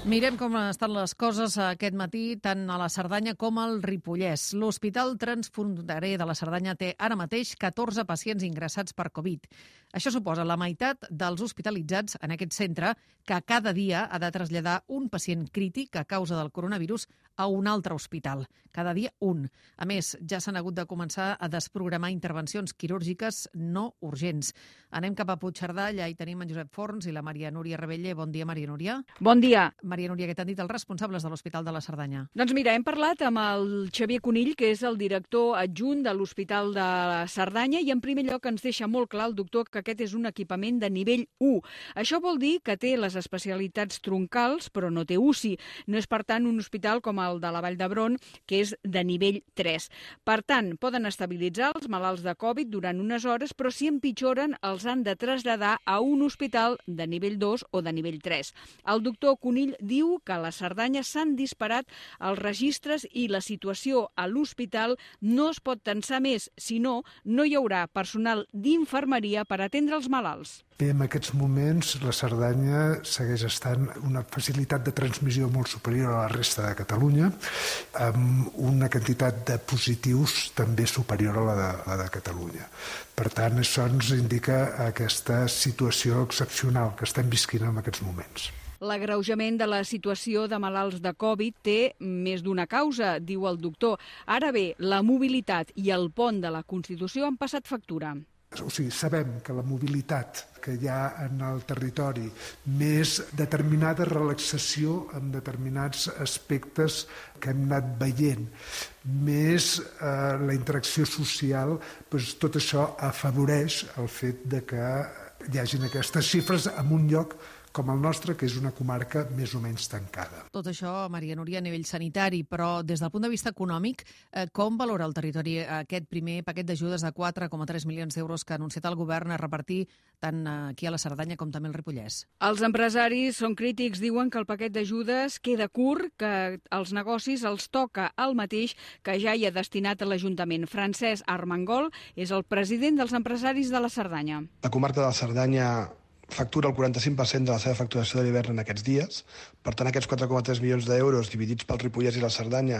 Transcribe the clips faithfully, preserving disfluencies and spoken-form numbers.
Mirem com estan les coses aquest matí, tant a la Cerdanya com al Ripollès. L'Hospital Transfronterer de la Cerdanya té ara mateix catorze pacients ingressats per Covid. Això suposa la meitat dels hospitalitzats en aquest centre, que cada dia ha de traslladar un pacient crític a causa del coronavirus a un altre hospital. Cada dia un. A més, ja s'han hagut de començar a desprogramar intervencions quirúrgiques no urgents. Anem cap a Puigcerdà, allà hi tenim en Josep Forns i la Maria Núria Rebelle. Bon dia, Maria Núria. Bon dia. Maria Núria, què t'han dit els responsables de l'Hospital de la Cerdanya? Doncs mira, hem parlat amb el Xavier Conill, que és el director adjunt de l'Hospital de la Cerdanya, i en primer lloc ens deixa molt clar el doctor que aquest és un equipament de nivell u. Això vol dir que té les especialitats troncals, però no té U C I. No és, per tant, un hospital com el de la Vall d'Hebron, que és de nivell tres. Per tant, poden estabilitzar els malalts de Covid durant unes hores, però si empitjoren els han de traslladar a un hospital de nivell dos o de nivell tres. El doctor Conill diu que a la Cerdanya s'han disparat els registres i la situació a l'hospital no es pot tensar més, si no, no hi haurà personal d'infermeria per atendre els malalts. Bé, en aquests moments la Cerdanya segueix estant una facilitat de transmissió molt superior a la resta de Catalunya, amb una quantitat de positius també superior a la de, la de Catalunya. Per tant, això ens indica aquesta situació excepcional que estem visquint en aquests moments. L'agreujament de la situació de malalts de Covid té més d'una causa, diu el doctor. Ara bé, la mobilitat i el pont de la Constitució han passat factura. O sigui, sabem que la mobilitat que hi ha en el territori, més determinada relaxació en determinats aspectes que hem anat veient, més eh, la interacció social, doncs tot això afavoreix el fet de que hi hagin aquestes xifres en un lloc com el nostre, que és una comarca més o menys tancada. Tot això, Maria Núria, a nivell sanitari, però des del punt de vista econòmic, eh, com valora el territori aquest primer paquet d'ajudes de quatre coma tres milions d'euros que ha anunciat el govern a repartir tant aquí a la Cerdanya com també al Ripollès? Els empresaris són crítics, diuen que el paquet d'ajudes queda curt, que als negocis els toca el mateix que ja hi ha destinat a l'Ajuntament. Francesc Armengol és el president dels empresaris de la Cerdanya. La comarca de la Cerdanya factura el quaranta-cinc per cent de la seva facturació de l'hivern en aquests dies. Per tant, aquests quatre coma tres milions d'euros dividits pel Ripollès i la Cerdanya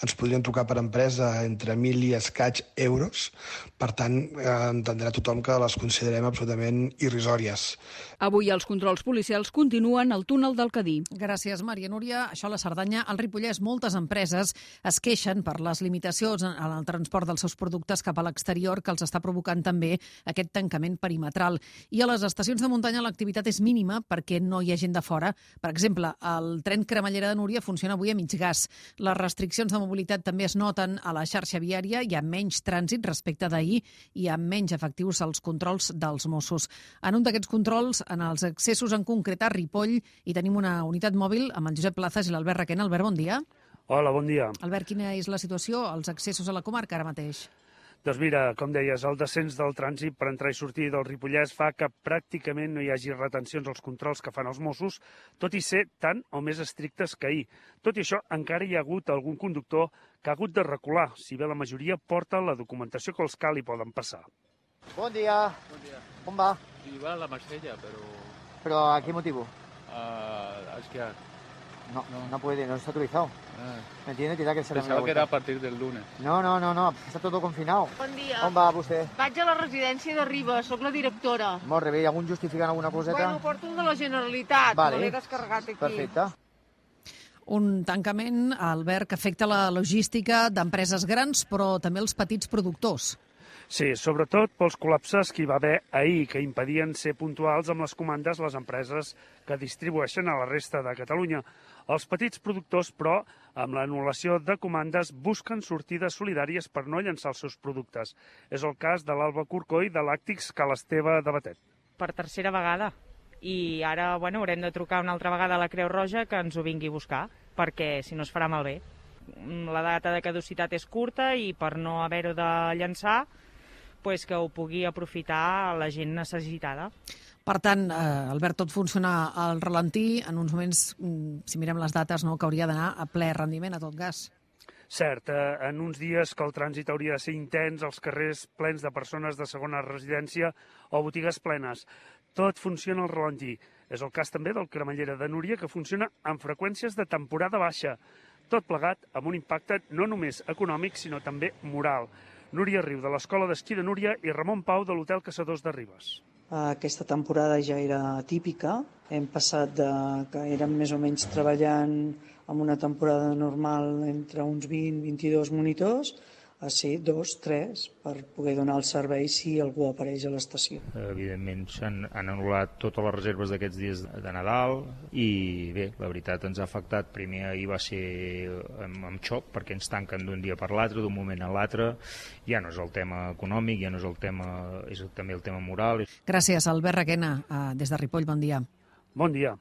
ens podrien trucar per empresa entre mil i escaig euros. Per tant, eh, entendrà tothom que les considerem absolutament irrisòries. Avui els controls policials continuen al túnel del Cadí. Gràcies, Maria Núria. Això a la Cerdanya. Al Ripollès, moltes empreses es queixen per les limitacions en el transport dels seus productes cap a l'exterior que els està provocant també aquest tancament perimetral. I a les estacions de muntanya l'activitat és mínima perquè no hi ha gent de fora. Per exemple, el tren Cremallera de Núria funciona avui a mig gas. Les restriccions de mobilitat també es noten a la xarxa viària. Hi ha menys trànsit respecte d'ahir i amb menys efectius als controls dels Mossos. En un d'aquests controls, en els accessos en concret a Ripoll, i tenim una unitat mòbil amb el Josep Plazas i l'Albert Requena. Albert, bon dia. Hola, bon dia. Albert, quina és la situació als accessos a la comarca ara mateix? Doncs mira, com deies, el descens del trànsit per entrar i sortir del Ripollès fa que pràcticament no hi hagi retencions als controls que fan els Mossos, tot i ser tant o més estrictes que ahir. Tot i això, encara hi ha hagut algun conductor que ha hagut de recular, si bé la majoria porta la documentació que els cal i poden passar. Bon dia. Bon dia. On va? Iba a la Marsella, pero... ¿Pero a qué motivo? a esquiar. No, no, no puede, no está autorizado. Ah, ¿Me entiende? Tendrá que ser pensaba que era a partir del lunes. No, no, no, no, està tot confinat. Bon dia. On va vostè? Vaig a la residència de Ribes, sóc la directora. Molt bé, algun justificant alguna coseta? Bueno, porto el de la Generalitat, vale. me l'he descarregat aquí. Perfecte. Un tancament, Albert, que afecta la logística d'empreses grans, però també els petits productors. Sí, sobretot pels col·lapses que hi va haver ahir, que impedien ser puntuals amb les comandes les empreses que distribueixen a la resta de Catalunya. Els petits productors, però, amb l'anul·lació de comandes, busquen sortides solidàries per no llançar els seus productes. És el cas de l'Alba Corcoll de Làctics Calesteva de Batet. Per tercera vegada. I ara, bueno, haurem de trucar una altra vegada a la Creu Roja que ens ho vingui a buscar, perquè si no es farà malbé. La data de caducitat és curta i per no haver-ho de llançar, pues que ho pugui aprofitar la gent necessitada. Per tant, eh, Albert, tot funciona al ralentí. En uns moments, si mirem les dates, no, que hauria d'anar a ple rendiment a tot gas. Cert, eh, en uns dies que el trànsit hauria de ser intens, els carrers plens de persones de segona residència o botigues plenes. Tot funciona al ralentí. És el cas també del Cremallera de Núria, que funciona amb freqüències de temporada baixa. Tot plegat amb un impacte no només econòmic, sinó també moral. Núria Riu, de l'Escola d'Esquí de Núria, i Ramon Pau, de l'Hotel Caçadors de Ribes. Aquesta temporada ja era típica. Hem passat de que érem més o menys treballant amb una temporada normal entre uns vint a vint-i-dos monitors a ser dos, tres, per poder donar el servei si algú apareix a l'estació. Evidentment s'han han anul·lat totes les reserves d'aquests dies de Nadal i bé, la veritat ens ha afectat. Primer ahir va ser amb, amb xoc perquè ens tanquen d'un dia per l'altre, d'un moment a l'altre. Ja no és el tema econòmic, ja no és el tema, és també el tema moral. Gràcies, Albert Requena, des de Ripoll, bon dia. Bon dia.